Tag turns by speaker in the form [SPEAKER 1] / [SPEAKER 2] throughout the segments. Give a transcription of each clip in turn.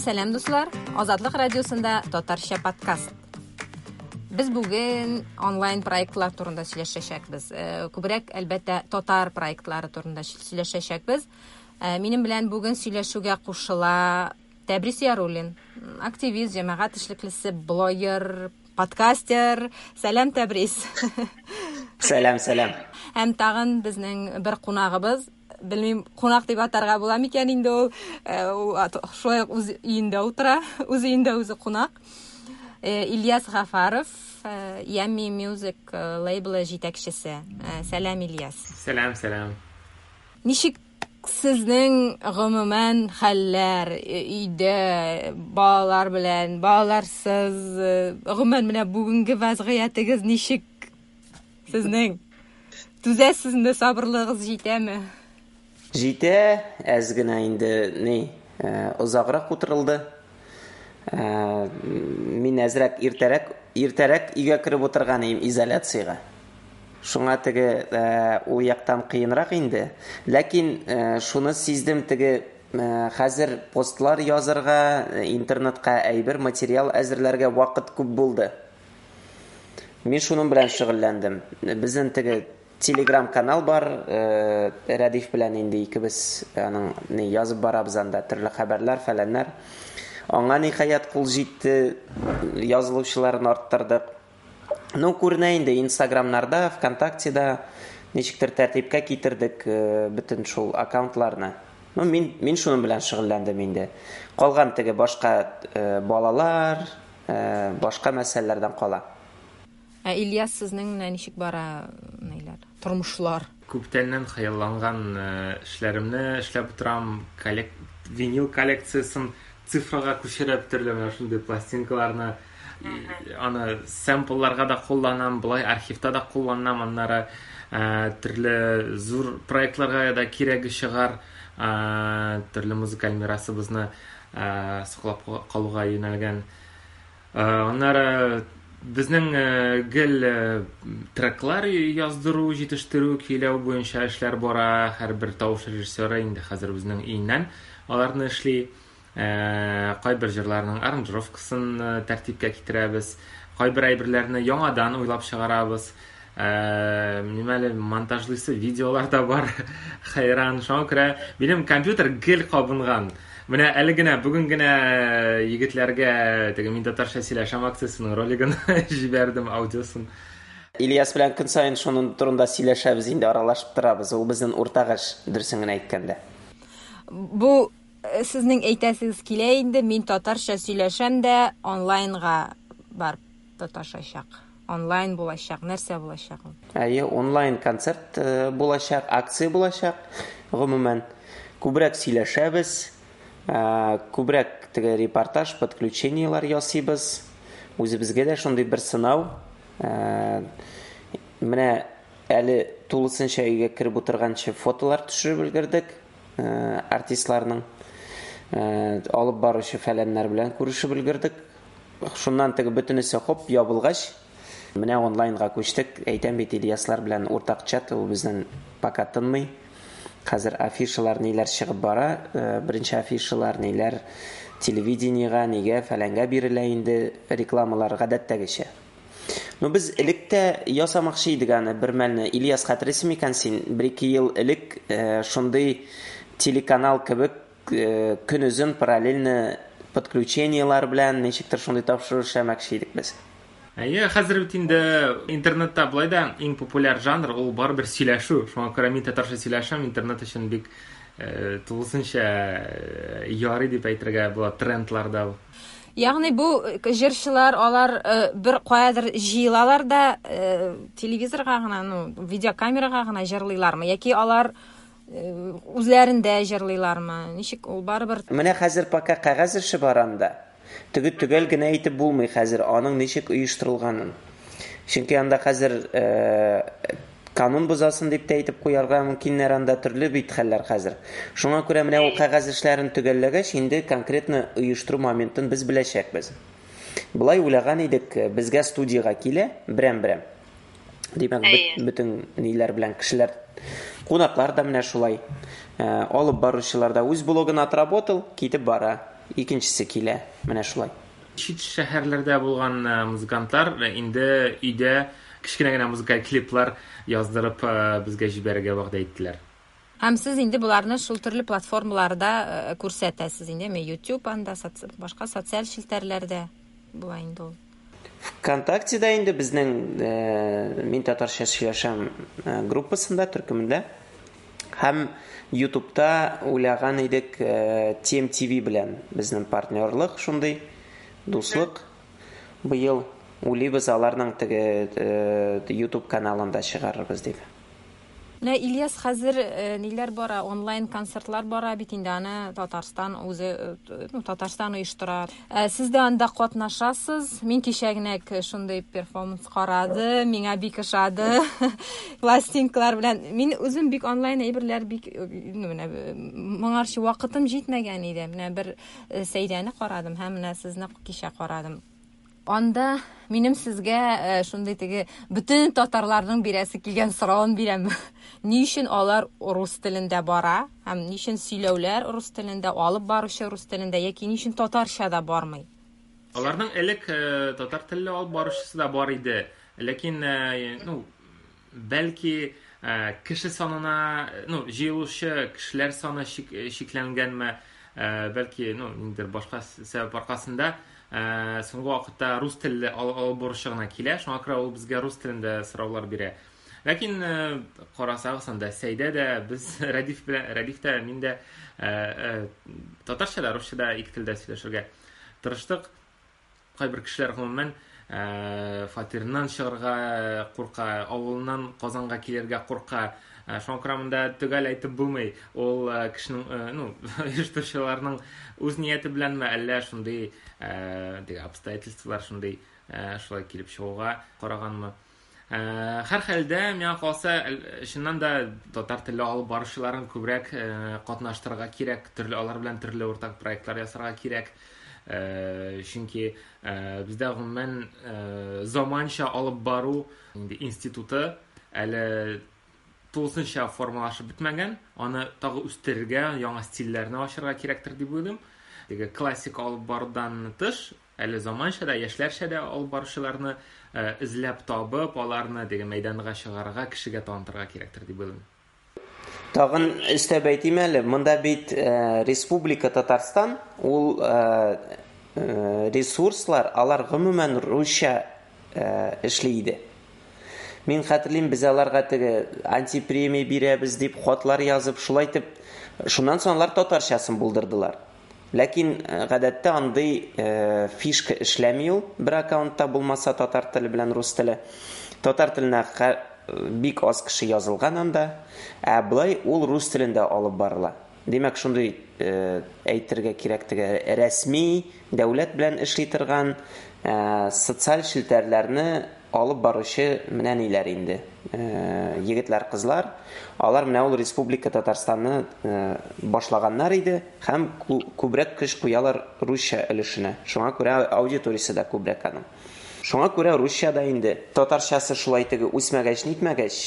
[SPEAKER 1] Сәлам, дуслар! Азатлык радиосында татарча подкаст. Без бүген онлайн проектлар турында сөйләшәчәкбез. Күбрәк, әлбәттә, татар проектлары турында сөйләшәчәкбез. Минем белән бүген сөйләшүгә кушыла Тәбрис Яруллин, активист, җәмәгать эшлеклесе, блогер, подкастер. Сәлам, Тәбрис.
[SPEAKER 2] Сәлам, сәлам.
[SPEAKER 1] Һәм тагын безнең бер кунагыбыз, белмим, кунак дип атарга була микән инде ул, ул шулай ук үз өендә утыра, үз өендә үзе кунак. Ильяс Гафаров, Yummy Music лейблы җитәкчесе. Сәлам, Ильяс.
[SPEAKER 3] Сәлам, сәлам.
[SPEAKER 1] Ничек сезнең гомумән хәлләр өйдә, балалар белән, балаларсыз, гомумән менә бүгенге вазгыятегез ничек сезнең? Түзәсезме, сабырлыгыгыз җитәме?
[SPEAKER 2] Җитә, әз генә инде ни, озаграк утырылды. Мин әзрәк иртәрәк, иртәрәк өйгә кереп утырган идем изоляциягә. Шуңа теге ул яктан кыенрак инде. Ләкин шуны сиздем, теге хәзер постлар язырга, интернетка әйбер, материал әзерләргә вакыт күп булды. Мин шуның белән шөгыльләндем. Безнең теге Telegram канал бар, Рәдиф белән инде икебез аның ни язып барабыз анда төрле хәбәрләр, фәләннәр. Аңа ниһаять кул җитте, язылучыларын арттырдык. Ну, күренә инде Инстаграмнарда, ВКонтактеда ничектер тәртипкә китердек бөтен шул аккаунтларны. Ну, мин мин шуның белән шөгыльләндем инде. Калган теге башка балалар, башка мәсьәләләрдән кала.
[SPEAKER 1] Ә Ильяс, сезнең менә ничек бара ниләр, тормышлар?
[SPEAKER 3] Күптәннән хыялланган эшләремне эшләп утырам. Коллек... Винил коллекциясен цифрага күчереп, төрле менә шундый пластинкаларны аны сэмплларга да кулланам, болай архивта да кулланам, аннары төрле зур проектларга да кирәге чыгар, төрле музыкаль мирасыбызны саклап калуга юнәлгән. Аннары безнең гел треклар яздыру, җитештерү, көйләү буенча эшләр бара. Һәрбер тавыш режиссеры инде хәзер үзенең өеннән аларны эшли. Кайбер җырларның аранжировкасын тәртипкә китерәбез. Кайбер әйберләрне яңадан уйлап чыгарабыз. Минем әле монтажлыйсы видеолар да бар. Хәйран. Шуңа күрә минем компьютер гел кабынган. Менә әле генә, бүген генә егетләргә теге Мин татарча сөйләшәм акциясенең ролигын җибәрдем, аудиосын.
[SPEAKER 2] Ильяс белән көн саен шуның турында сөйләшәбез инде, аралашып торабыз. Ул безнең уртак эш, дөресен генә әйткәндә.
[SPEAKER 1] Бу сезнең әйтәсегез килә инде, мин татарча сөйләшәм дә онлайнга барып тоташачак. Онлайн булачак, нәрсә булачак ул?
[SPEAKER 2] Әйе, онлайн концерт булачак, акция булачак. Гомумән, күбрәк сөйләшәбез, күбрәк теге репортаж, подключениелар ясыйбыз. Үзебезгә дә шундый бер сынау. Менә әле тулысынча өйгә кереп утырганчы фотолар төшереп өлгердек артистларның. Алып баручы фәләннәр белән күрешеп өлгердек. Шуннан теге бөтенесе хоп ябылгач, менә онлайнга күчтек. Әйтәм бит, Ильяслар белән уртак чат, ул безнең пока тынмый. Хәзер афишалар ниләр чыгып бара, беренче афишалар ниләр телевидениега, нигә, фәләнгә бирелә инде рекламалар гадәттәгечә. Ну, без элек тә ясамакчы идек аны бер мәлне. Ильяс, хәтерлисең микән син, бер-ике ел элек шундый телеканал кебек көнозын параллельно подключениелар белән ничектер шундый тапшыру эшләмәкче идек без.
[SPEAKER 3] Әйе, хәзер бит инде интернетта болай да иң популяр жанр ул барыбер сөйләшү. Шуңа күрә мин татарча сөйләшәм, интернет өчен бик тулысынча ярый дип әйтергә була трендларда.
[SPEAKER 1] Ягъни бу җырчылар алар бер каядыр җыелалар да телевизорга гына, ну, видеокамерага гына җырлыйлармы яки алар үзләрендә җырлыйлармы? Ничек ул барыбер?
[SPEAKER 2] Менә хәзер пока кәгазь эше бар анда. Теге төгәл генә әйтеп булмый хәзер аның ничек оештырылганын. Чөнки анда хәзер канун бозасын дип тә әйтеп куярга мөмкиннәр, анда төрле бит хәлләр хәзер. Шуңа күрә менә ул кәгазь эшләрен төгәлләгәч, инде конкретно оештыру моментын без беләчәкбез. Болай уйлаган идек, безгә студиягә килә берәм-берәм. Димәк, бөтен ниләр белән кешеләр, кунаклар да менә шулай. Алып баручылар да үз блогын отработал, китеп бара. икенчесе килә. Менә шулай.
[SPEAKER 3] Чит шәһәрләрдә булган музыкантлар инде өйдә кечкенә генә музыкаль клиплар яздырып безгә җибәрергә вәгъдә иттеләр.
[SPEAKER 1] Һәм сез инде боларны шул төрле платформаларда күрсәтәсез инде, YouTube анда, башка социаль челтәрләрдә була инде ул.
[SPEAKER 2] ВКонтактеда инде безнең Мин татарча сөйләшәм группасында, төркемендә. Һәм YouTube'та уйлаган идек TMTV белән безнең партнерлык шундый, дуслык. Быел уйлыйбыз аларның теге YouTube каналында чыгарырбыз дип.
[SPEAKER 1] Менә Ильяс, хәзер ниләр бара, онлайн концертлар бара бит инде, аны Татарстан үзе, ну, Татарстан оештыра. Сез дә анда катнашасыз. Мин кичә генә шундый перформанс карадым, миңа бик ошады. Пластинкалар белән. Мин үзем бик онлайн әйберләр бик, ну, менә моңарчы вакытым җитмәгән иде. Менә бер Сәйдәне карадым һәм менә сезне кичә карадым. Анда минем сезгә шундый теге бөтен татарларның бирәсе килгән соравын бирәм. Ни өчен алар рус телендә бара һәм ни өчен сөйләүләр рус телендә, алып баручы рус телендә яки ни өчен татарча да бармый?
[SPEAKER 3] Аларның элек татар телле алып баручысы да бар иде. Ләкин, ну, бәлки кеше санына, ну, җыелучы кешеләр саны чикләнгәнме, бәлки, ну, ниндидер башка сәбәп аркасында соңгы вакытта рус телле алып баручы гына килә, шуңа күрә ул безгә рус телендә сораулар бирә. Ләкин карасагыз, анда Сәйдә дә без Рәдиф белән, Рәдиф тә, мин дә татарча да, русча да ике телдә сөйләшергә тырыштык. Кайбер кешеләр гомумән фатирыннан чыгарга курка, авылыннан Казанга килергә курка. Шуңа күрә монда төгәл әйтеп булмый. Ул кешенең, ну, оештыручыларның үз нияте беләнме, әллә шундый теге обстоятельстволар шундый шулай килеп чыгуга караганмы. Һәрхәлдә, миңа калса, чыннан да татар телле алып баручыларын күбрәк катнаштырырга кирәк, төрле алар белән төрле уртак проектлар ясарга кирәк. Чөнки бездә гомумән заманча алып бару инде институты әле тулысынча формалашып бетмәгән. Аны тагы үстерергә, яңа стильләрне ачырга кирәктер дип уйлыйм. Теге классик алып барудан тыш, әле заманча да, яшьләрчә дә алып баручыларны эзләп табып, аларны теге мәйданга чыгарырга, кешегә танытырга кирәктер дип уйлыйм.
[SPEAKER 2] Тагын өстәп әйтим әле, монда бит Республика Татарстан, ул ресурслар, алар гомумән русча эшли иде. Мин хәтерлим, без аларга теге антипремия бирәбез дип хатлар язып, шулай итеп, шуннан соң алар татарчасын булдырдылар. Ләкин гадәттә андый фишка эшләми ул, бер аккаунтта булмаса татар теле белән рус теле. Татар теленә бик аз кеше язылган анда, ә былай ул рус телендә алып барыла. Димәк, шундый әйтергә кирәк теге рәсми дәүләт белән эшли торган социаль челтәрләрне алып баручы менә ниләр инде. Егетләр, кызлар, алар менә ул Республика Татарстанны башлаганнар иде һәм күбрәк көч куялар русча өлешенә. Шуңа күрә аудиториясе дә күбрәк аның. Шуңа күрә русча да инде татарчасы шулай теге үсмәгәч, нитмәгәч,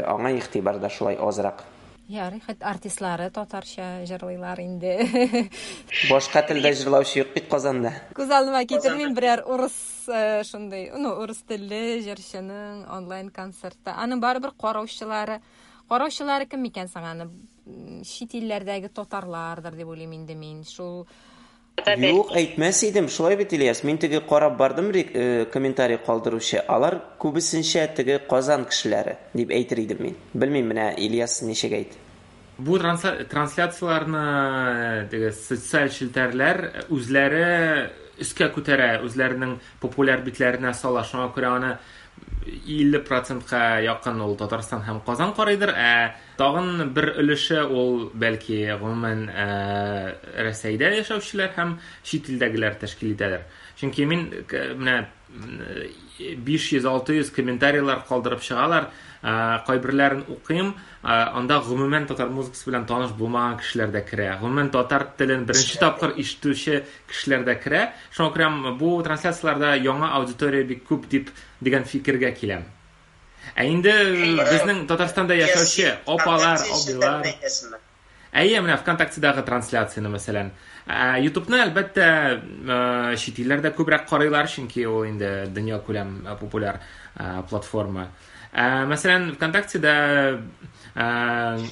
[SPEAKER 2] аңа игътибар да шулай азрак.
[SPEAKER 1] Ярый, хәт артистлары татарча җырлыйлар инде.
[SPEAKER 2] Башка телдә җырлаучы юк бит Казанда.
[SPEAKER 1] Күз алдыма китермим берәр урыс шундый, ну, урыс телле җырчының онлайн концерты. Аның барыбер караучылары, караучылары кем икән соң аны? Чит илләрдәге татарлардыр дип уйлыйм инде мин. Шул
[SPEAKER 2] Юк, әйтмәс идем, шулай бит, Ильяс. Мин теге карап бардым комментарий калдыручы. Алар күбесенчә теге Казан кешеләре дип әйтер идем мин. Белмим, менә Ильяс ничек әйт.
[SPEAKER 3] Бу трансляцияләрне теге социаль челтәрләр үзләре өскә күтәрә, үзләренең популяр битләренә сала. Шуңа күрә аны 50%-ка якын ул Татарстан һәм Казан карыйдыр, ә тагын бер өлеше ул бәлки гомумән Рәсәйдә яшәүчеләр һәм чит илдәгеләр тәшкил итәдер. Чөнки мин менә 500-600 комментарийлар калдырып чыгалар, кайберләрен укыйм, анда гомумән татар музыкасы белән таныш булмаган кешеләр дә керә. Гомумән татар телен беренче тапкыр ишетүче кешеләр дә керә. Шуңа күрә бу трансляцияләрдә яңа аудитория бик күп дип дигән фикергә киләм. Ә инде безнең Татарстанда яшәүче апалар, абыйлар. Әйе, менә ВКонтактедагы трансляцияне, мәсәлән. YouTubeны, әлбәттә, чит илләрдә күбрәк карыйлар, чөнки ул инде дөньякүләм популяр платформа. Мәсәлән, ВКонтактеда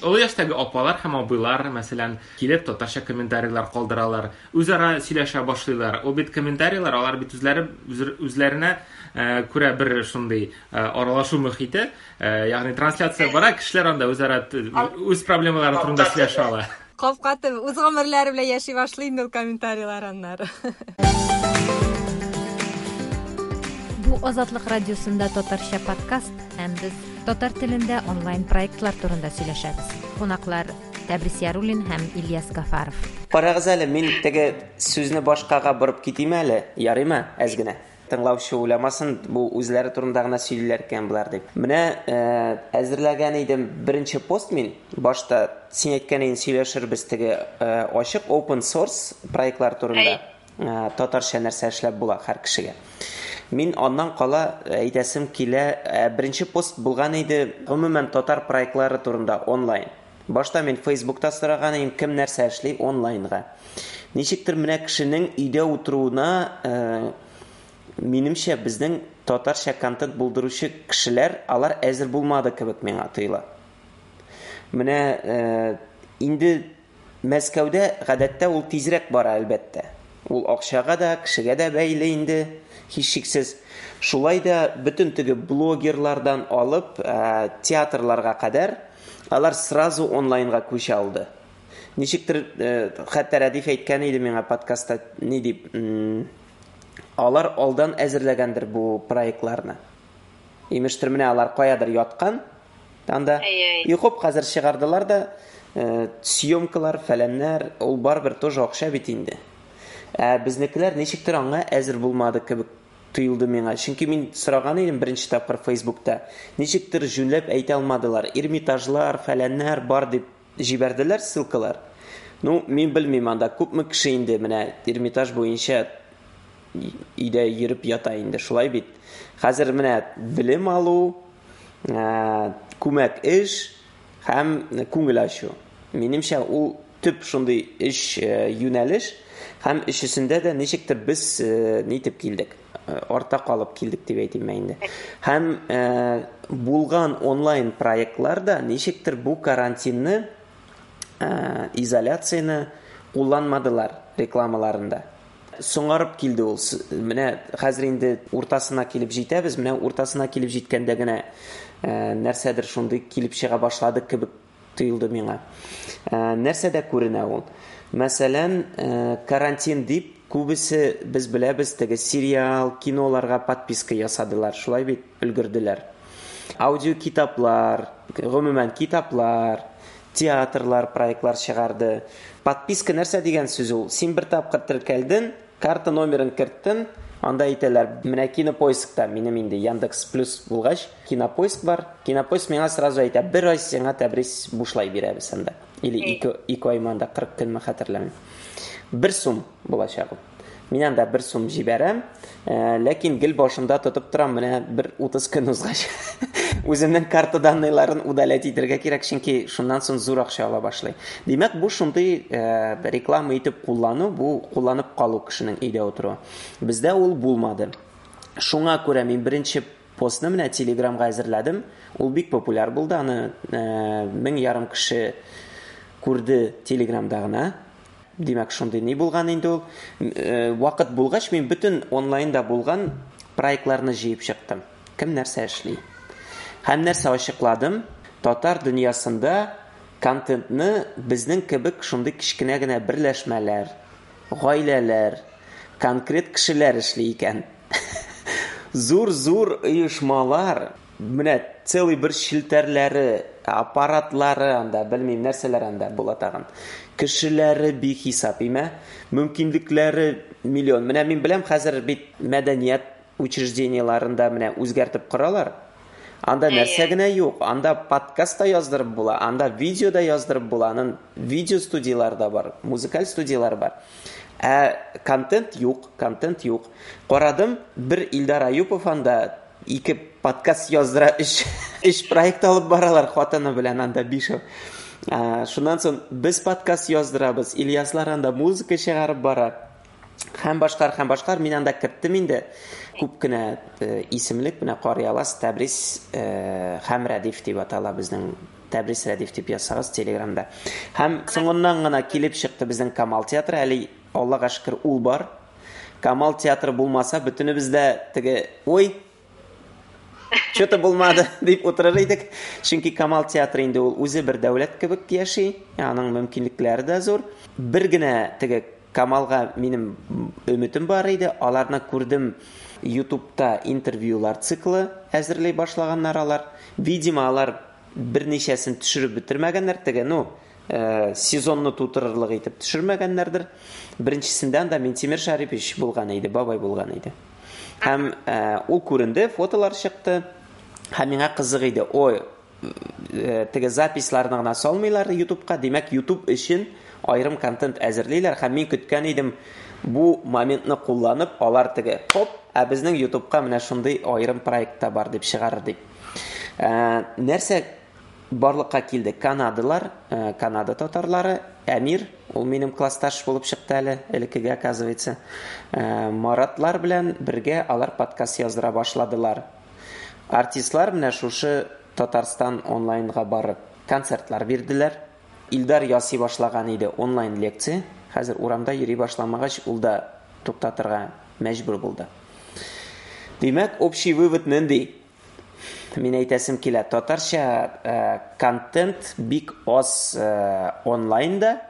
[SPEAKER 3] олы яшьтәге апалар һәм абыйлар, мәсәлән, килеп татарча комментарийлар калдыралар, үзара сөйләшә башлыйлар. Ул бит комментарийлар, алар бит үзләре үзләренә күрә бер шундый аралашу мөхите, ягъни трансляция бара, кешеләр анда үзара үз проблемалары турында сөйләшә ала.
[SPEAKER 1] Капка үз гомерләре белән яши башлый инде ул комментарийлар аннары. Бу Азатлык радиосында татарча подкаст һәм без татар телендә онлайн проектлар турында сөйләшәбез. Кунаклар Тәбрис Яруллин һәм Ильяс Гафаров.
[SPEAKER 2] Карагыз әле, мин теге сүзне башкага борып китим әле, ярыймы, әз генә? Тыңлаучы уйламасын, бу үзләре турында гына сөйлиләр икән болар дип. Менә әзерләгән идем беренче пост мин. Башта син әйткән идең сөйләшербез теге ачык open source проектлар турында. Татарча нәрсә эшләп була һәр кешегә. Мин аннан кала әйтәсем килә, беренче пост булган иде гомумән татар проектлары турында онлайн. Башта мин Фейсбукта сораган идем, кем нәрсә эшли онлайнга. Ничектер менә кешенең өйдә утыруына минемчә безнең татарча контент булдыручы кешеләр алар әзер булмады кебек миңа тоела. Менә инде Мәскәүдә гадәттә ул тизрәк бара әлбәттә. Ул акчага да, кешегә дә бәйле инде, һичшиксез. Шулай да бөтен теге блогерлардан алып театрларга кадәр алар сразу онлайнга күчә алды. Ничектер, хәтта Рәдиф әйткән иде миңа подкастта, ни дип, алар алдан әзерләгәндер бу проектларны. Имештер, менә алар каядыр яткан, анда. И хоп, хәзер чыгардылар да, съемкалар, фәләннәр, ул барыбер тоже акча бит инде. Ә безнекеләр ничектер аңа әзер булмады кебек тоелды миңа. Чөнки мин сораган идем беренче тапкыр Фейсбукта. Ничектер җүнләп әйтә алмадылар. Эрмитажлар, фәләннәр бар дип җибәрделәр ссылкалар. Ну, мин белмим анда күпме кеше инде менә Эрмитаж буенча өйдә йөреп ята инде, шулай бит. Хәзер менә белем алу, күмәк эш һәм күңел ачу. Минемчә, ул төп шундый өч юнәлеш һәм өчесендә дә ничектер без нитеп килдек, арта калып килдек дип әйтим инде. Һәм булган онлайн проектлар да ничектер бу карантинны, изоляцияне кулланмадылар рекламаларында. Соңарып килде ул. Менә хәзер инде уртасына килеп җитәбез. Менә уртасына килеп җиткәндә генә нәрсәдер шундый килеп чыга башлады кебек тоелды миңа. Нәрсәдә күренә ул? Мәсәлән, карантин дип күбесе без беләбез теге сериал, киноларга подписка ясадылар. Шулай бит өлгерделәр. Аудио китаплар, гомумән китаплар, театрлар проектлар чыгарды. Подписка нәрсә дигән сүз ул? Син бер тапкыр теркәлдең, карта номерын керттең, анда әйтәләр, менә Кинопоискта, минем инде Яндекс Плюс булгач, Кинопоиск бар. Кинопоиск миңа сразу әйтә, бер ай сиңа Тәбрис бушлай бирәбез анда. Или ике ай анда 40 көнме хәтерләмим. 1 сум булачак ул. Мин анда 1 сум җибәрәм, ләкин гел башымда тотып торам, менә бер 30 көн узгач. Үземнең карта данныйларын удалять итәргә кирәк, чөнки шуннан соң зур акча ала башлый. Димәк, бу шундый реклама итеп куллану, бу кулланып калу кешенең өйдә утыруы. Бездә ул булмады. Шуңа күрә мин беренче постны менә Телеграмга әзерләдем. Ул бик популяр булды, аны 1500 кеше күрде Телеграмда гына. Димәк, шундый ни булган инде ул. Вакыт булгач, мин бөтен онлайнда булган проектларны җыеп чыктым. Кем нәрсә эшли? Һәм нәрсә ачыкладым? Татар дөньясында контентны безнең кебек шундый кечкенә генә берләшмәләр, гаиләләр, конкрет кешеләр эшли икән. Зур-зур оешмалар, менә целый бер челтәрләре, аппаратлары анда, белмим нәрсәләр анда була тагын. Кешеләре бихисап име, мөмкинлекләре миллион. Менә мин беләм, хәзер бит мәдәният учреждениеларында менә үзгәртеп коралар. Анда нәрсә генә юк, анда подкаст та яздырып була, анда видео да яздырып була, аның видео студиялары да бар, музыкаль студиялары бар. Ә контент юк, контент юк. Карадым, бер Илдар Аюпов анда 2 подкаст яздыра, 3 проект алып баралар хатыны белән анда бишәү. Шуннан соң без подкаст яздырабыз, Ильяслар анда музыка чыгарып бара. Һәм башкалар, һәм башкалар. Мин анда керттем инде күп кенә исемлек, менә карый аласыз, Тәбрис һәм Рәдиф дип атала безнең, Тәбрис Рәдиф дип язсагыз Телеграмда. Һәм соңыннан гына килеп чыкты безнең Камал театры, әле Аллага шөкер ул бар. Камал театры булмаса, бөтенебез дә теге, ой, что-то булмады дип утырыр идек. Чөнки Камал театры инде ул үзе бер дәүләт кебек яши, аның мөмкинлекләре дә зур. Бер генә теге Камалга минем өметем бар иде, аларны күрдем YouTube'та интервьюлар циклы әзерли башлаганнар алар. Видимо, алар берничәсен төшереп бетермәгәннәр, теге, ну, сезонны тутырырлык итеп төшермәгәннәрдер. Беренчесендә анда Минтимер Шарипович булган иде, бабай булган иде. Һәм ул күренде, фотолар чыкты. Һәм миңа кызык иде. Ой, теге записьларны гына салмыйлар YouTube'ка, димәк, YouTube өчен аерым контент әзерлиләр. Һәм мин көткән идем, бу моментны кулланып, алар теге, хоп, ә безнең YouTube'ка менә шундый аерым проект та бар дип чыгарыр дип. Нәрсә барлыкка килде? Канадалар, Канада татарлары, Әмир, ул минем классташ булып чыкты әле, элеккеге, оказывается. Маратлар белән бергә алар подкаст яздыра башладылар. Артистлар менә шушы Татарстан онлайнга барып концертлар бирделәр. Илдар ясый башлаган иде онлайн лекция. Хәзер урамда йөри башламагач, ул да туктатырга мәҗбүр булды. Димәк, общий вывод нинди? Мин әйтәсем килә, татарча контент бик аз онлайнда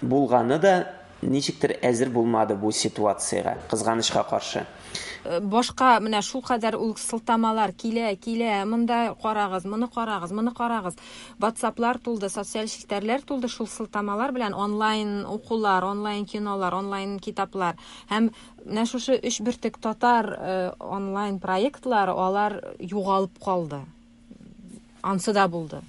[SPEAKER 2] булганы да ничектер әзер булмады бу ситуациягә, кызганычка каршы.
[SPEAKER 1] Башка менә шул кадәр ул сылтамалар килә, килә, монда карагыз, моны карагыз, моны карагыз. WhatsApp'лар тулды, социаль челтәрләр тулды шул сылтамалар белән, онлайн укулар, онлайн кинолар, онлайн китаплар. Һәм менә шушы өч бөртек татар онлайн проектлары, алар югалып калды. Ансы да булды.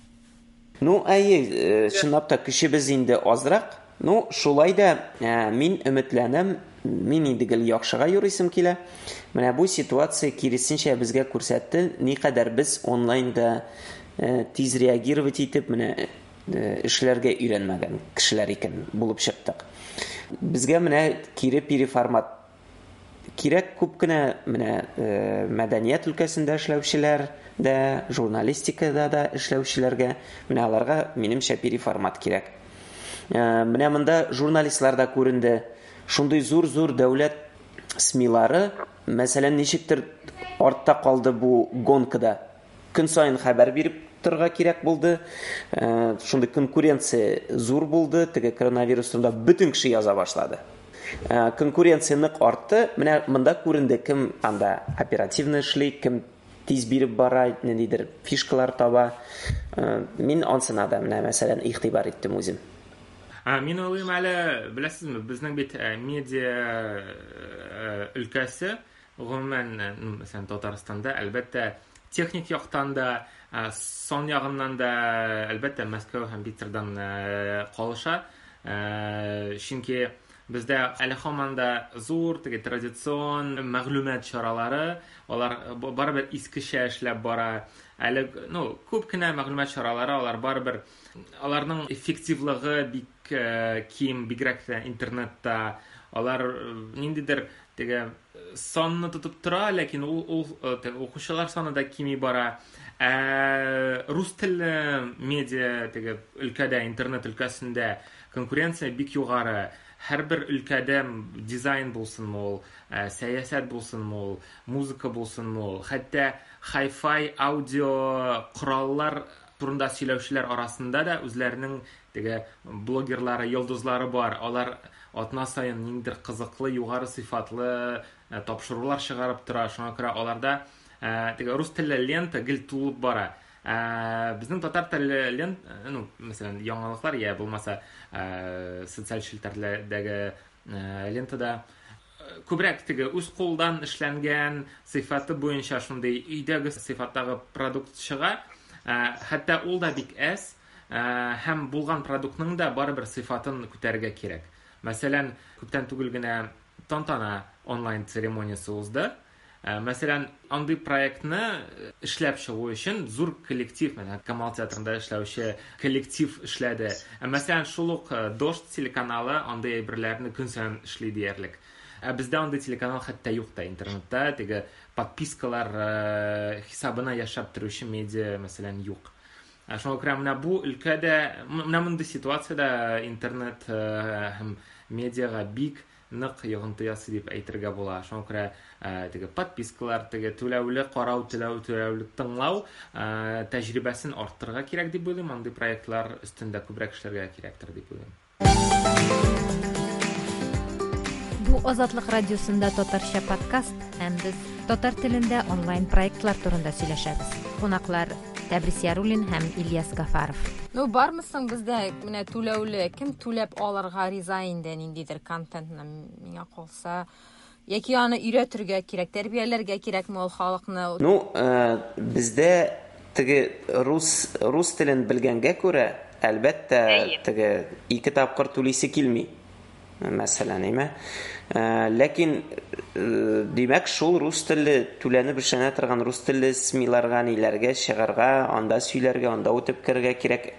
[SPEAKER 2] Ну, әйе, чынлап та көчебез инде азрак. Ну, шулай да мин өметләнәм, мин инде гел яхшыга юрыйсым килә. Менә бу ситуация киресенчә безгә күрсәтте, никадәр без онлайнда тиз реагировать итеп, менә эшләргә өйрәнмәгән кешеләр икән булып чыктык. Безгә менә кире переформат кирәк, күп кенә менә мәдәният өлкәсендә эшләүчеләр дә, журналистикада да эшләүчеләргә, менә аларга минемчә переформат кирәк. Менә монда журналистлар да күренде. Шундый зур-зур дәүләт СМИлары, мәсәлән, ничектер артта калды бу гонкада. Көн саен хәбәр биреп торырга кирәк булды. Шундый конкуренция зур булды. Теге коронавирус турында бөтен кеше яза башлады. Конкуренция нык артты. Менә монда күренде, кем анда оперативно эшли, кем тиз биреп бара, ниндидер фишкалар таба. Мин ансына да менә, мәсәлән, игътибар иттем үзем.
[SPEAKER 3] Мин уйлыйм әле, беләсезме, безнең бит медиа өлкәсе, гомумән, мәсәлән, Татарстанда, әлбәттә, техник яктан да, сан ягыннан да, әлбәттә, Мәскәү һәм Питердан калыша. Чөнки бездә әле һаман да зур, теге традицион мәгълүмат чаралары, алар барыбер искечә эшләп бара. Әле, ну, күп кенә мәгълүмат чаралары, алар барыбер, аларның эффективлыгы бик ким, бигрәк тә интернетта. Алар ниндидер теге санны тотып тора, ләкин ул теге укучылар саны да кими бара. Рус телле медиа теге өлкәдә, интернет өлкәсендә конкуренция бик югары. Һәрбер өлкәдә дизайн булсынмы ул, сәясәт булсынмы ул, музыка булсынмы ул, хәтта хай-фай аудио кораллар турында сөйләүчеләр арасында да үзләренең теге блогерлары, йолдызлары бар. Алар атна саен ниндидер кызыклы, югары сыйфатлы тапшырулар чыгарып тора. Шуңа күрә аларда теге рус телле лента гел тулып бара. Безнең татар телле лент, ну, мәсәлән, яңалыклар я булмаса, социаль челтәрләрдәге лентада күбрәк теге үз кулдан эшләнгән сыйфаты буенча шундый өйдәге сыйфаттагы продукт чыга. Хәтта ул да бик әз, һәм булган продуктның да барыбер сыйфатын күтәрергә кирәк. Мәсәлән, күптән түгел генә Тантана онлайн церемониясе узды. Мәсәлән, андый проектны эшләп чыгу өчен зур коллектив, менә Камал театрында эшләүче коллектив эшләде. Ә мәсәлән, шул ук Дождь телеканалы андый әйберләрне көн саен эшли диярлек. Ә бездә андый телеканал хәтта юк та интернетта, теге подпискалар хисабына яшәп торучы медиа, мәсәлән, юк. Шуңа күрә менә бу өлкәдә, менә мондый ситуациядә интернет һәм медиага бик нык йогынты ясый дип әйтергә була. Шуңа күрә теге подпискалар, теге түләүле карау, түләүле тыңлау тәҗрибәсен арттырырга кирәк дип уйлыйм. Андый проектлар өстендә күбрәк эшләргә кирәктер дип уйлыйм.
[SPEAKER 1] Бу Азатлык радиосында татарча подкаст һәм без татар телендә онлайн проектлар турында сөйләшәбез. Кунаклар Тәбрис Яруллин һәм Ильяс Гафаров. Ну, бармы соң бездә менә түләүле, кем түләп алырга риза инде ниндидер контентны, миңа калса, яки аны өйрәтергә кирәк, тәрбияләргә кирәкме ул халыкны?
[SPEAKER 2] Ну, бездә теге рус, рус телен белгәнгә күрә, әлбәттә, теге ике тапкыр түлисе килми. Мәсәлән, әйме? Ләкин, димәк, шул рус телле түләнеп эшләнә торган рус телле СМИларга, ниләргә чыгарга, анда сөйләргә, анда үтеп керергә кирәк.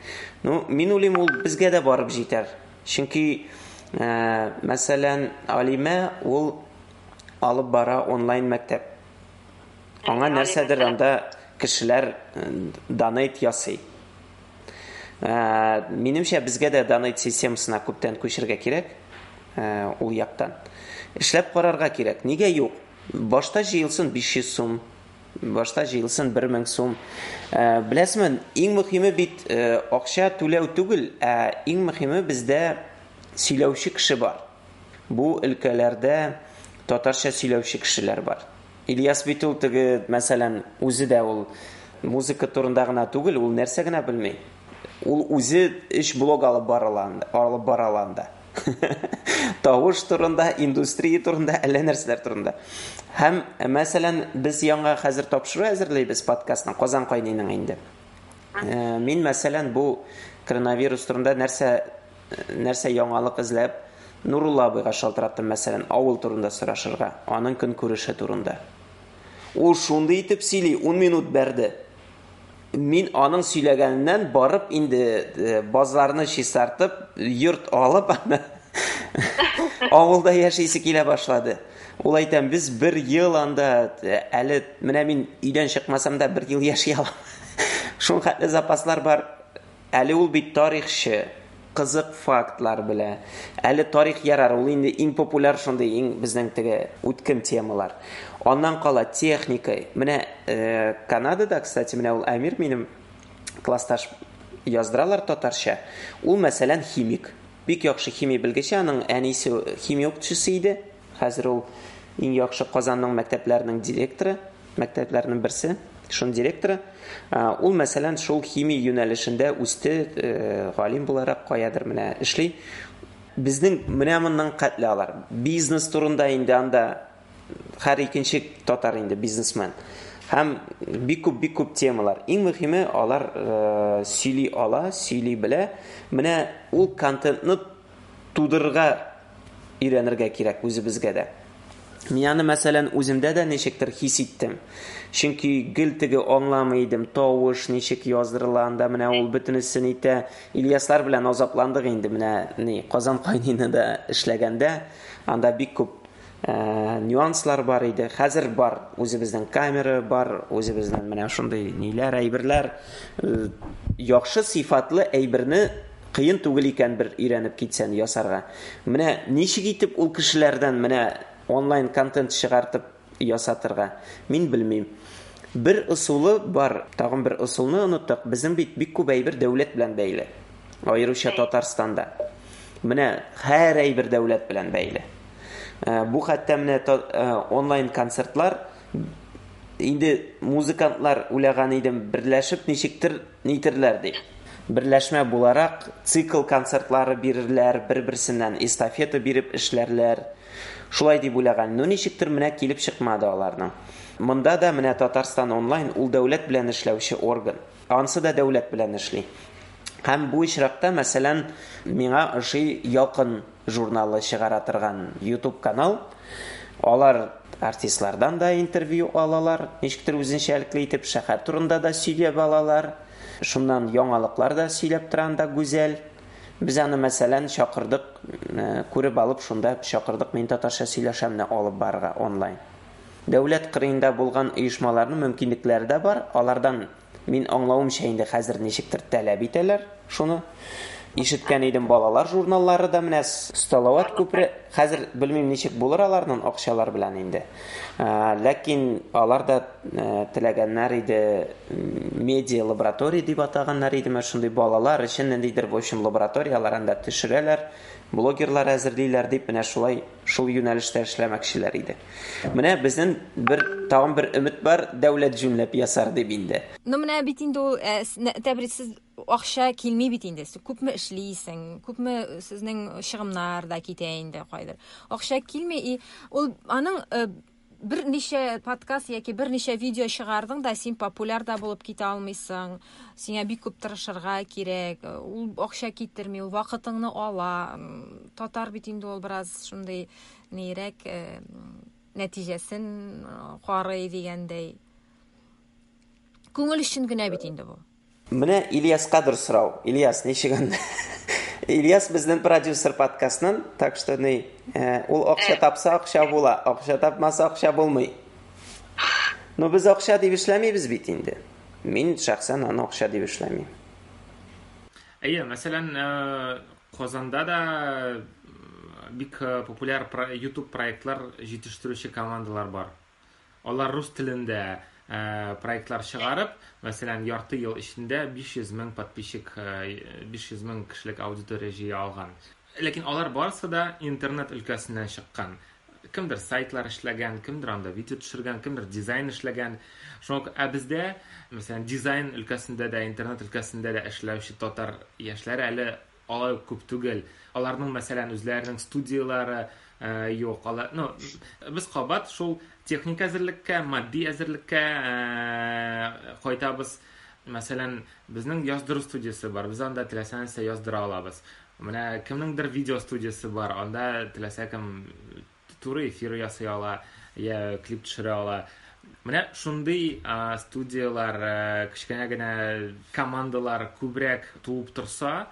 [SPEAKER 2] Ну, мин уйлыйм, ул безгә дә барып җитәр. Чөнки, мәсәлән, Алимә ул алып бара онлайн мәктәп. Аңа нәрсәдер анда кешеләр донейт ясый. Минемчә, безгә дә донейт системасына күптән күчергә кирәк, ул яктан. Эшләп карарга кирәк. Нигә юк? Башта җыелсын 500 сум, башта җыелсын 1000 сум. Беләсезме, иң мөһиме бит акча түләү түгел, ә иң мөһиме бездә сөйләүче кеше бар. Бу өлкәләрдә татарча сөйләүче кешеләр бар. Ильяс бит ул теге, мәсәлән, үзе дә ул музыка турында гына түгел, ул нәрсә генә белми. Ул үзе өч блог алып бара алып бара ала анда. Тавыш турында, индустрия турында, әллә нәрсәләр турында. Һәм, мәсәлән, без яңа хәзер тапшыру әзерлибез подкастның, Казан кайныйның инде. Мин, мәсәлән, бу коронавирус турында нәрсә нәрсә яңалык эзләп, Нурулла абыйга шалтыраттым, мәсәлән, авыл турында сорашырга, аның көнкүреше турында. Ул шундый итеп сөйли, 10 минут бәрде. Мин аның сөйләгәненнән барып инде базларны чистартып, йорт алып, аны авылда яшисе килә башлады. Ул әйтәм, без бер ел анда, әле менә мин өйдән чыкмасам да бер ел яши алам. Шул хәтле запаслар бар. Әле ул бит тарихчы, кызык фактлар белә. Әле тарих ярар, ул инде иң популяр шундый, иң безнең теге үткен темалар. Аннан кала техника. Менә Канадада, кстати, менә ул Әмир минем классташ яздыралар татарча. Ул, мәсәлән, химик. Бик яхшы химия белгече, аның әнисе химия укытучысы иде. Хәзер ул иң яхшы Казанның мәктәпләренең директоры, мәктәпләренең берсе, шуның директоры. Ул, мәсәлән, шул химия юнәлешендә үсте, галим буларак каядыр менә эшли. Безнең менә моннан кәтле алар. Бизнес турында инде анда һәр икенче татар инде бизнесмен. Һәм бик күп, бик күп темалар. Иң мөһиме, алар сөйли ала, сөйли белә. Менә ул контентны тудырырга өйрәнергә кирәк үзебезгә дә. Мин аны, мәсәлән, үземдә дә ничектер хис иттем. Чөнки гел теге аңламый идем, тавыш ничек яздырыла анда, менә ул бөтенесен итә. Ильяслар белән азапландык инде менә ни, Казан кайныйны да эшләгәндә, анда бик күп нюанслар бар иде. Хәзер бар, үзебезнең камера бар, үзебезнең менә шундый ниләр, әйберләр. Яхшы сыйфатлы әйберне кыен түгел икән бер өйрәнеп китсән ясарга. Менә ничек итеп ул кешеләрдән менә онлайн контент чыгартып ясатырга, мин белмим. Бер ысулы бар, тагын бер ысулны оныттык. Безнең бит бик күп әйбер дәүләт белән бәйле. Аеруча Татарстанда. Менә һәр әйбер дәүләт белән бәйле. Бу хәтта менә онлайн концертлар инде музыкантлар уйлаган идем, берләшеп ничектер нитерләр дип. Берләшмә буларак цикл концертлары бирерләр, бер-берсеннән эстафета биреп эшләрләр. Шулай дип уйлаган. Ну ничектер менә килеп чыкмады аларның. Монда да менә Татарстан онлайн ул дәүләт белән эшләүче орган. Ансы да дәүләт белән эшли. Һәм бу очракта, мәсәлән, миңа ошый Ялкын журналы чыгара торган YouTube канал. Алар артистлардан да интервью алалар, ничектер үзенчәлекле итеп шәһәр турында да сөйләп алалар. Шуннан яңалыклар да сөйләп тора анда Гүзәл. Без аны, мәсәлән, чакырдык, күреп алып, шунда чакырдык Мин татарча сөйләшәмне алып барырга онлайн. Дәүләт кырыенда булган оешмаларның мөмкинлекләре дә бар. Алардан мин аңлавымча инде хәзер ничектер таләп итәләр шуны. Ишеткән идем, балалар журналлары да менә Салават күпере, хәзер белмим ничек булыр аларның акчалар белән инде. Ләкин алар да теләгәннәр иде, медиа лаборатория дип атаганнар иде, менә шундый балалар өчен ниндидер, в общем, лабораторияләр анда төшерәләр, блогерлар әзерлиләр дип, менә шулай шул юнәлештә эшләмәкчеләр иде. Менә безнең бер тагын бер өмет бар, дәүләт җүнләп ясар дип инде.
[SPEAKER 1] Ну менә бит инде ул, Тәбрис, сез акча килми бит инде. Сез күпме эшлисең, күпме сезнең чыгымнар да китә инде кайдыр. Акча килми и ул аның берничә подкаст яки берничә видео чыгардың да, син популяр да булып китә алмыйсың. Сиңа бик күп тырышырга кирәк. Ул акча китерми, ул вакытыңны ала. Татар бит инде ул бераз шундый нирәк нәтиҗәсен карый дигәндәй. Күңел өчен генә бит инде бу.
[SPEAKER 2] Менә Ильяскадыр сорау. Ильяс, ничек анда? Ильяс безнең продюсер подкастның, так что ни, ул акча тапса акча була, акча тапмаса акча булмый. Но без акча дип эшләмибез бит инде. Мин шәхсән аны акча дип эшләмим.
[SPEAKER 3] Әйе, мәсәлән, Казанда да бик популяр YouTube проектлар җитештерүче командалар бар. Алар рус телендә проектлар чыгарып, мәсәлән, ярты ел эчендә 500 мең подписчик, 500 мең кешелек аудитория җыя алган. Ләкин алар барысы да интернет өлкәсеннән чыккан. Кемдер сайтлар эшләгән, кемдер анда видео төшергән, кемдер дизайн эшләгән. Шуңа ә бездә, мәсәлән, дизайн өлкәсендә дә, интернет өлкәсендә дә эшләүче татар яшьләре әле алай ук күп түгел. Аларның, мәсәлән, үзләренең студияләре юк. Алар, ну, без кабат шул техник әзерлеккә, матди әзерлеккә кайтабыз. Мәсәлән, безнең яздыру студиясе бар. Без анда теләсә нәрсә яздыра алабыз. Менә кемнеңдер видео студиясе бар, анда теләсә кем туры эфир ясый ала, я клип төшерә ала. Менә шундый студияләр, кечкенә генә командалар күбрәк туып торса,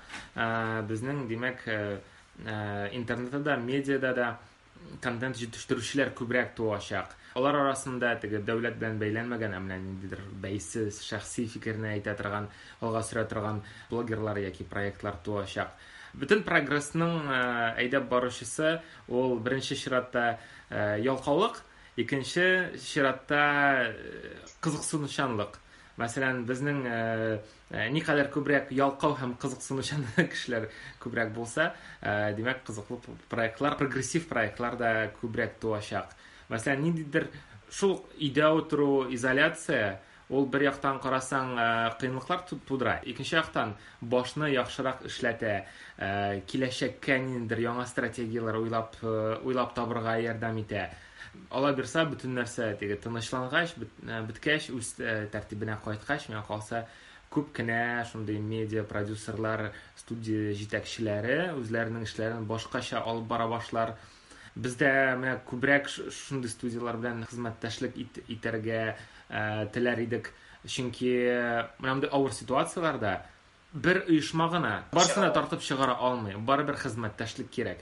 [SPEAKER 3] безнең, димәк, интернетта да, медиада да контент җитештерүчеләр күбрәк туачак. Алар арасында теге дәүләт белән бәйләнмәгән, ә менә ниндидер бәйсез, шәхси фикерне әйтә торган, алга сөрә торган блогерлар яки проектлар туачак. Бөтен прогрессның әйдәп баручысы ул беренче чиратта ялкаулык, икенче чиратта кызыксынучанлык. Мәсәлән, безнең никадәр күбрәк ялкау һәм кызыксынучан кешеләр күбрәк булса, димәк, кызыклы проектлар, прогрессив проектлар да күбрәк туачак. Мәсәлән, ниндидер шул өйдә утыру, изоляция, ул бер яктан карасаң, кыенлыклар тудыра, икенче яктан башны яхшырак эшләтә, киләчәккә ниндидер яңа стратегияләр уйлап, уйлап табырга ярдәм итә. Ала бирсә, бөтен нәрсә теге тынычлангач, беткәч, үз тәртибенә кайткач, миңа калса, күп кенә шундый медиа продюсерлар, студия җитәкчеләре үзләренең эшләрен башкача алып бара башлар. Бездә менә күбрәк шундый студияләр белән хезмәттәшлек итәргә теләр идек. Чөнки менә мондый авыр ситуацияләрдә бер оешма гына барысын да тартып чыгара алмый. Барыбер хезмәттәшлек кирәк.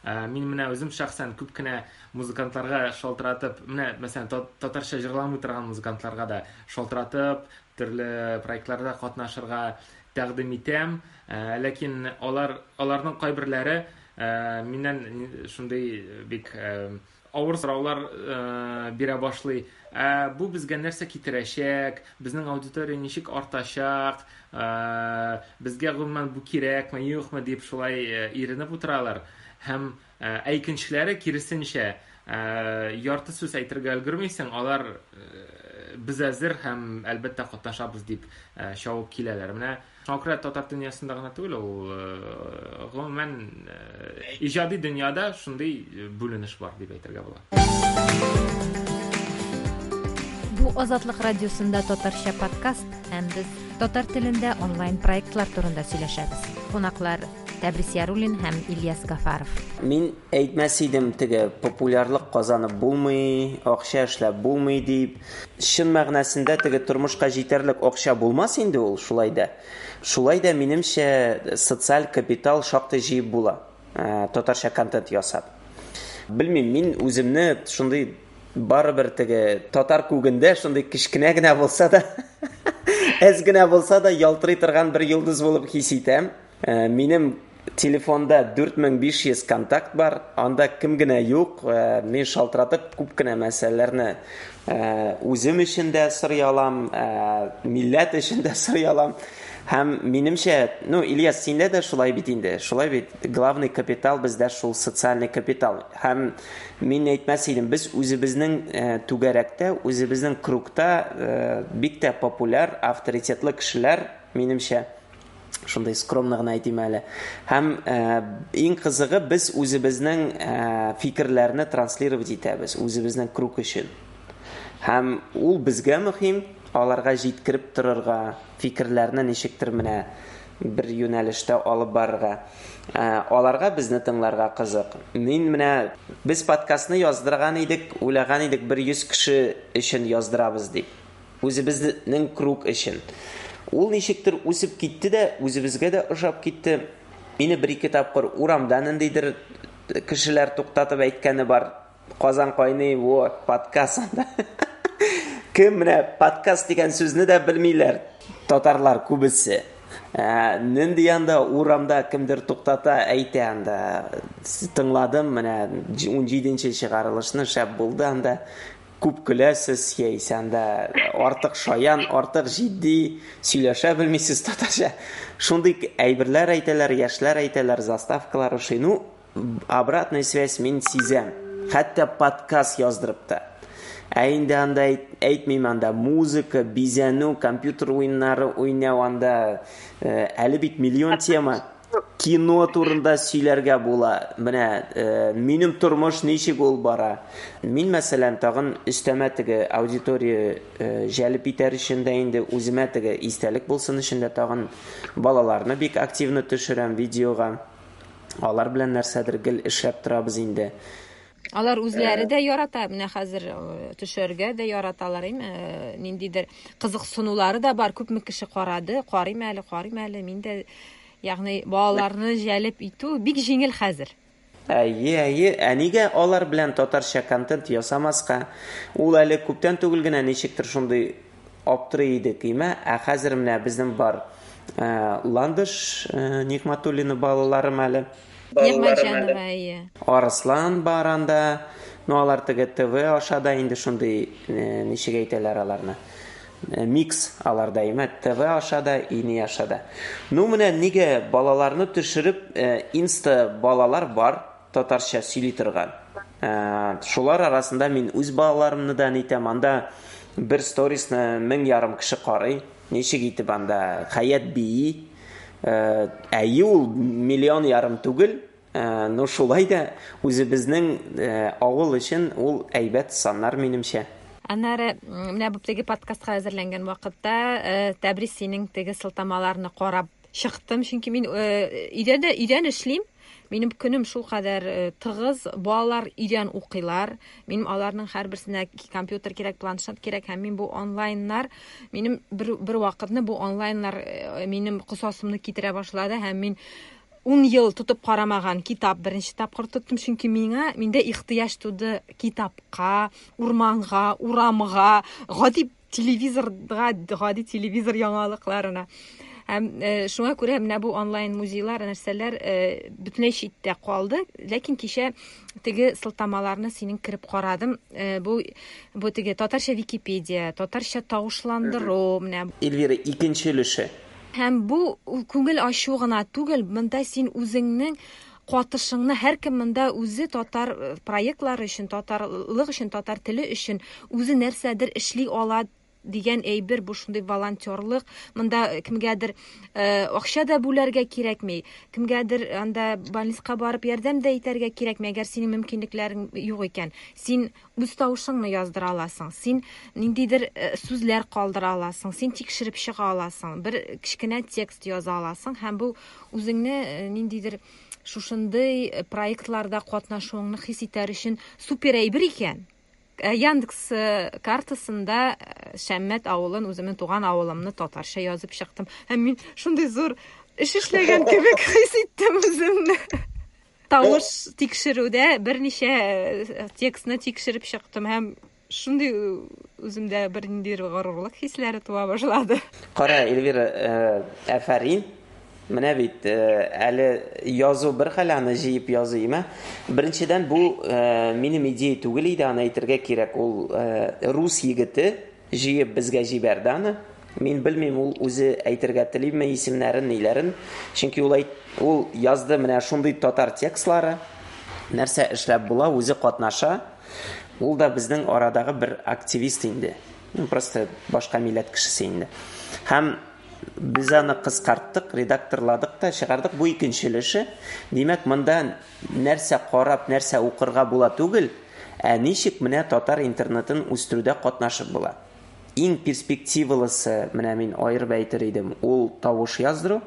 [SPEAKER 3] Мин менә үзем шәхсән күп кенә музыкантларга шалтыратып, менә мәсәлән, татарча җырламый торган музыкантларга да шалтыратып, төрле проектларда катнашырга тәкъдим итәм. Ләкин аларның кайберләре миннән шундый бик авыр сораулар бирә башлый. Бу безгә нәрсә китерәчәк? Безнең аудитория ничек артачак? Безгә гомумән бу кирәкме, юкмы дип шулай иренеп утыралар. Һәм ә икенчеләре киресенчә, ярты сүз әйтергә өлгермисең, алар без әзер һәм әлбәттә катнашабыз дип чабып киләләр. Менә шуңа күрә татар дөньясында гына түгел, ул гомумән иҗади дөньяда шундый бүленеш бар дип әйтергә була.
[SPEAKER 1] Бу Азатлык радиосында татарча подкаст һәм без татар телендә онлайн проектлар турында сөйләшәбез. Кунаклар Тәбрис Яруллин һәм Ильяс Гафаров.
[SPEAKER 2] Мин әйтмәс идем теге популярлык казанып булмый, акча эшләп булмый дип. Чын мәгънәсендә теге тормышка җитәрлек акча булмас инде ул шулай да. Шулай да, минемчә, социаль капитал шактый җыеп була, татарча контент ясап. Белмим, мин үземне шундый барыбер теге татар күгендә шундый кечкенә генә булса да, әз генә булса да ялтырый торган бер йолдыз булып хис итәм. Минем телефонда 4500 контакт бар, анда кем генә юк, мин шалтыратып күп кенә мәсьәләләрне үзем өчен дә сорый алам, милләт өчен дә сорый алам. Һәм минемчә, ну, Ильяс, синдә дә шулай бит инде, шулай бит, главный капитал бездә шул социальный капитал. Һәм мин әйтмәс идем, без үзебезнең түгәрәктә, үзебезнең кругта бик тә популяр, авторитетлы кешеләр, минемчә, шундый скромно гына әйтим әле. Һәм иң кызыгы, без үзебезнең фикерләрне транслировать итәбез, үзебезнең круг өчен. Һәм ул безгә мөһим, аларга җиткереп торырга, фикерләрне ничектер менә бер юнәлештә алып барырга. Аларга безне тыңларга кызык. Мин менә без подкастны яздырган идек, уйлаган идек, бер 100 кеше өчен яздырабыз дип. Үзебезнең круг өчен. Ул ничектер үсеп китте дә, үзебезгә дә ошап китте. Мине бер-ике тапкыр урамда ниндидер кешеләр туктатып әйткәне бар. Казан кайный, вот, подкаст анда. Кем менә подкаст дигән сүзне дә белмиләр. Татарлар күбесе. Нинди анда урамда кемдер туктата, әйтә анда. Тыңладым, менә 17нче чыгарылышны, шәп булды анда. Күп көләсез, яисә анда артык шаян, артык җитди сөйләшә белмисез татарча. Шундый әйберләр әйтәләр, яшьләр әйтәләр, заставкалар ошый. Ну, обратная связь мин сизәм. Хәтта подкаст яздырып та. Ә инде анда әйтмим, анда музыка, бизәнү, компьютер уеннары уйнау анда әле бит миллион тема. Кино турында сөйләргә була. Менә минем тормыш ничек ул бара. Мин, мәсәлән, тагын өстәмә теге аудитория җәлеп итәр өчен дә инде үземә теге истәлек булсын өчен дә тагын балаларны бик активно төшерәм видеога. Алар белән нәрсәдер гел эшләп торабыз инде.
[SPEAKER 1] Алар үзләре дә ярата, менә хәзер төшәргә дә яраталар, әйме, ниндидер кызыксынулары да бар. Күпме кеше карады, карыйм әле, карыйм әле. Мин дә, ягъни балаларны җәлеп итү бик җиңел хәзер.
[SPEAKER 2] Әйе, әйе. Ә нигә алар белән татарча контент ясамаска? Ул әле күптән түгел генә ничектер шундый аптырый идек, име? Ә хәзер менә безнең бар Ландыш Нигъмәтуллина балаларым әле.
[SPEAKER 1] Нигъмәтҗанова, әйе.
[SPEAKER 2] Арыслан бар анда. Ну, алар теге ТВ аша да инде шундый, ничек әйтәләр аларны? Микс аларда, име? ТВ аша да, ини аша да. Ну, менә нигә балаларны төшереп, инста балалар бар, татарча сөйли торган. Шулар арасында мин үз балаларымны да нитәм. Анда бер сторисны 1500 кеше карый. Ничек итеп анда Хәят бии. Әйе, ул 1,5 миллион түгел, но шулай да үзебезнең авыл өчен ул әйбәт саннар минемчә.
[SPEAKER 1] Аннары менә бу теге подкастка әзерләнгән вакытта Тәбрис синең теге сылтамаларны карап чыктым, чөнки мин өйдә дә өйдән эшлим. Минем көнем шул кадәр тыгыз, балалар өйдән укыйлар. Минем аларның һәрберсенә компьютер кирәк, планшет кирәк, һәм мин бу онлайннар, минем бер вакытны бу онлайннар минем косасымны китерә башлады, һәм мин 10 ел тотып карамаган китап беренче тапкыр тоттым, чөнки миндә ихтыяҗ туды китапка, урманга, урамга, гади телевизорга, гади телевизор яңалыкларына. Һәм шуңа күрә менә бу онлайн музейлар, нәрсәләр бөтенләй читтә калды. Ләкин кичә теге сылтамаларны синең кереп карадым. Бу теге татарча Википедия, татарча тавышландыру, менә.
[SPEAKER 2] Эльвира, икенче өлеше.
[SPEAKER 1] Һәм бу күңел ачу гына түгел, монда син үзеңнең катышыңны, һәркем монда үзе татар проектлары өчен, татарлык өчен, татар теле өчен үзе нәрсәдер эшли ала дигән әйбер, бу шундый волонтерлык. Монда кемгәдер акча да бүләргә кирәкми, кемгәдер анда больницага барып ярдәм дә итәргә кирәкми, әгәр синең мөмкинлекләрең юк икән. Син үз тавышыңны яздыра аласың, син ниндидер сүзләр калдыра аласың, син тикшереп чыга аласың, бер кечкенә текст яза аласың һәм бу үзеңне ниндидер шушындый проектларда катнашуыңны хис итәр өчен супер әйбер икән. Яндекс картасында Шәммәт авылын, үземнең туган авылымны татарча язып чыктым. Һәм мин шундый зур эш эшләгән кебек хис иттем үземне. Тавыш тикшерүдә берничә текстны тикшереп чыктым һәм шундый үземдә бер ниндидер горурлык хисләре туа башлады.
[SPEAKER 2] Кара, Эльвира, афәрин. Менә бит әле язу бер хәл, аны җыеп язу име. Беренчедән, бу минем идея түгел иде, аны әйтергә кирәк. Ул рус егете җыеп безгә җибәрде аны. Мин белмим, ул үзе әйтергә телиме исемнәрен, ниләрен. Чөнки ул ул язды менә шундый татар текстлары. Нәрсә эшләп була, үзе катнаша. Ул да безнең арадагы бер активист инде. Просто башка милләт кешесе инде. Һәм без аны кыскарттык, редакторладык та чыгардык. Бу икенче өлеше. Димәк, монда нәрсә карап, нәрсә укырга була түгел, ә ничек менә татар интернетын үстерүдә катнашып була. Иң перспективалысы, менә мин аерып әйтер идем, ул тавыш яздыру.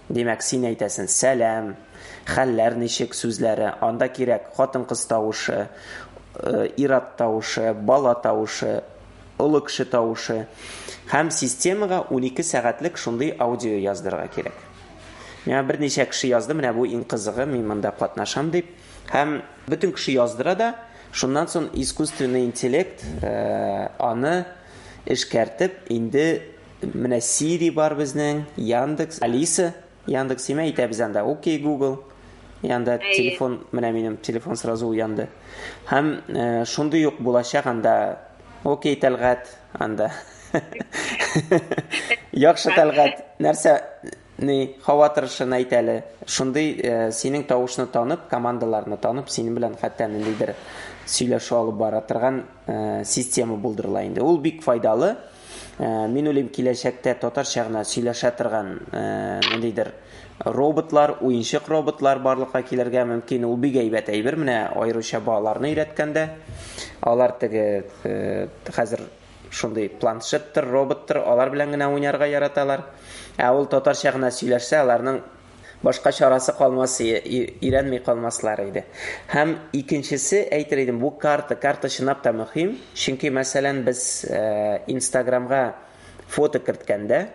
[SPEAKER 2] Димәк, син әйтәсең сәлам, хәлләр ничек сүзләре, анда кирәк хатын-кыз тавышы, ир-ат тавышы, бала тавышы, олы кеше тавышы. Һәм системага 12 сәгатьлек шундый аудио яздырырга кирәк. Миңа берничә кеше язды, менә бу иң кызыгы, мин монда катнашам дип. Һәм бөтен кеше яздыра да, шуннан соң искусственный интеллект аны эшкәртеп, инде менә Siri бар безнең, Яндекс, Алиса, Яндекс имә әйтәбез анда, окей, Google. Янда телефон, менә минем телефон сразу уянды. Һәм шундый ук булачак анда, окей, Тәлгать, анда. Яхшы, Тәлгать, нәрсә, ни, һава торышын әйт әле. Шундый синең тавышны танып, командаларны танып, синең белән хәтта ниндидер сөйләшү алып бара торган система булдырыла инде. Ул бик файдалы. Мин уйлыйм, киләчәктә татарча гына сөйләшә торган ниндидер роботлар, уенчык роботлар барлыкка килергә мөмкин. Ул бик әйбәт әйбер, менә аеруча балаларны өйрәткәндә. Алар теге хәзер шундый планшеттыр, роботтыр, алар белән генә уйнарга яраталар. Ә ул татарча гына сөйләшсә, аларның башка чарасы калмас, өйрәнми калмаслар иде. Һәм икенчесе, әйтер идем, бу карта. Карта чынлап та мөһим. Чөнки, мәсәлән, без Инстаграмга фото керткәндә,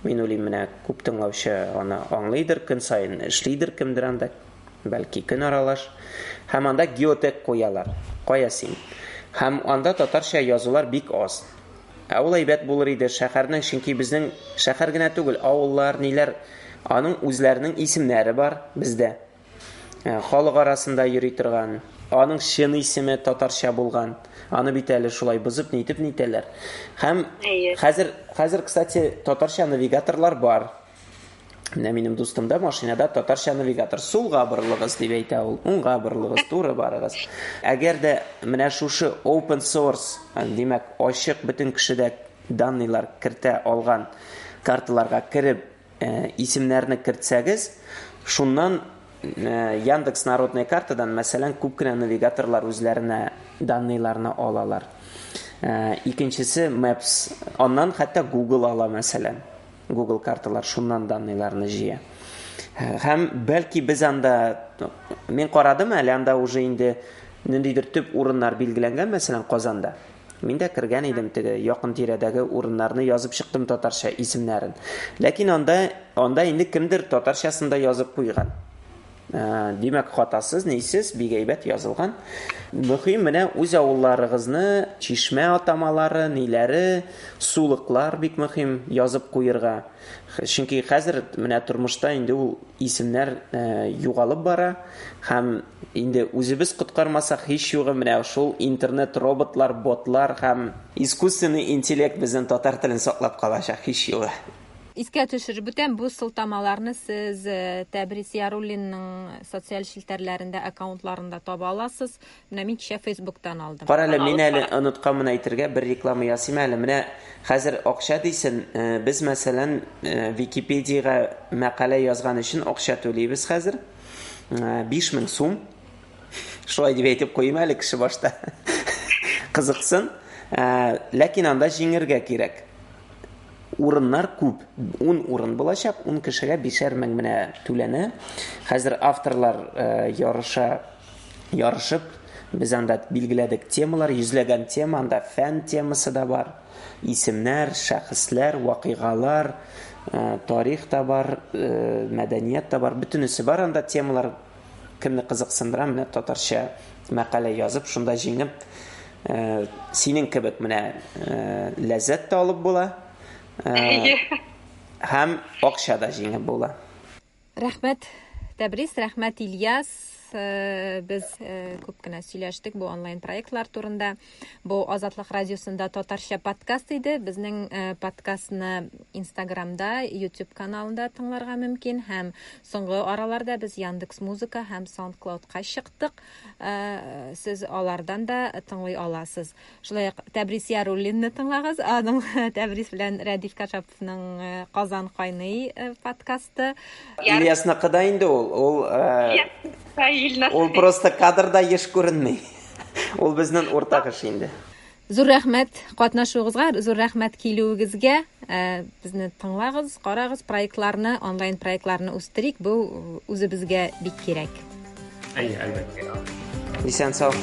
[SPEAKER 2] мин уйлыйм, менә күп тыңлаучы аны аңлыйдыр, көн саен эшлидер кемдер анда, бәлки көн аралаш. Һәм анда геотег куялар. Кая син? Һәм анда татарча язулар бик аз. Ә ул әйбәт булыр иде шәһәрнең, чөнки безнең шәһәр генә түгел, авыллар, ниләр, аның үзләренең исемнәре бар бездә. Халык арасында йөри торган, аның чын исеме татарча булган. Аны бит әле шулай бозып, нитеп нитәләр. Һәм хәзер, кстати, татарча навигаторлар бар. Менә минем дустымда машинада татарча навигатор. Сулга борылыгыз дип әйтә ул, уңга борылыгыз, туры барыгыз. Әгәр дә менә шушы open source, димәк, ачык бөтен кеше дә данныйлар кертә алган карталарга кереп, исемнәрне кертсәгез, шуннан Яндекс народная картадан, мәсәлән, күп кенә навигаторлар үзләренә данныйларны алалар. Икенчесе Maps, аннан хәтта Google ала, мәсәлән. Google карталар шуннан данныйларны җыя. Һәм бәлки без анда, мин карадым әле, анда уже инде ниндидер төп урыннар билгеләнгән, мәсәлән, Казанда. Мин дә кергән идем, теге якын тирәдәге урыннарны язып чыктым татарча исемнәрен. Ләкин анда инде кемдер татарчасын да язып куйган. Димәк, хатасыз, нисез, бик әйбәт язылган. Мөһим менә үз авылларыгызны, чишмә атамалары, ниләре, сулыклар бик мөһим язып куерга. Чөнки хәзер менә тормышта инде ул исемнәр югалып бара һәм инде үзебез коткармасак, һич югы менә шул интернет роботлар, ботлар һәм искусственный интеллект безнең татар телен саклап калачак, һич югы.
[SPEAKER 1] Искә төшереп үтәм, бу сылтамаларны сез э, Тәбрис Яруллинның социаль челтәрләрендә аккаунтларында таба аласыз. Менә мин кичә Фейсбуктан алдым.
[SPEAKER 2] Кара әле, мин әле онытканмын әйтергә, бер реклама ясыйм әле. Менә хәзер акча дисен, э, без мәсәлән, э, Википедиягә мәкалә язган өчен акча түлибез хәзер. 5000 сум. Шулай дип әйтеп куйыйм әле кеше башта. Кызыксын. Ләкин анда җиңергә кирәк. Урыннар күп. 10 урын булачак, 10 кешегә 5 мең менә түләнә. Хәзер авторлар ярыша ярышып, без анда билгеләдек темалар, йөзләгән тема, анда фән темасы да бар, исемнәр, шәхесләр, вакыйгалар, тарих та бар, мәдәният та бар, бөтенесе бар анда темалар кемне кызыксындыра, менә татарча мәкалә язып, шунда җиңеп, э, синең кебек менә э, ләззәт тә алып була. Э, һәм акча да җиңеп була.
[SPEAKER 1] Рәхмәт, Тәбрис, рәхмәт, Ильяс. Без күп кенә сөйләштек бу онлайн проектлар турында. Бу Азатлык радиосында татарча подкаст иде. Безнең подкастны Инстаграмда, YouTube каналында тыңларга мөмкин һәм Соңгы араларда без Яндекс Музыка һәм SoundCloud-ка чыктык. Э, сез алардан да тыңлый аласыз. Шулай ук Тәбрис Яруллинны тыңлагыз. Аның Тәбрис белән Рәдиф Кашаповның э, Казан кайный э, подкасты.
[SPEAKER 2] Ильясныкы да инде ул. Ул ул просто кадрда еш күренми. Ул безнең уртак эш инде.
[SPEAKER 1] Зур рәхмәт катнашуыгызга, зур рәхмәт килүегезгә. Э, безне тыңлагыз, карагыз, проектларны, онлайн проектларны үстерик. Бу үзебезгә бик кирәк.
[SPEAKER 3] Әйе, әлбәттә.
[SPEAKER 2] Исән сау.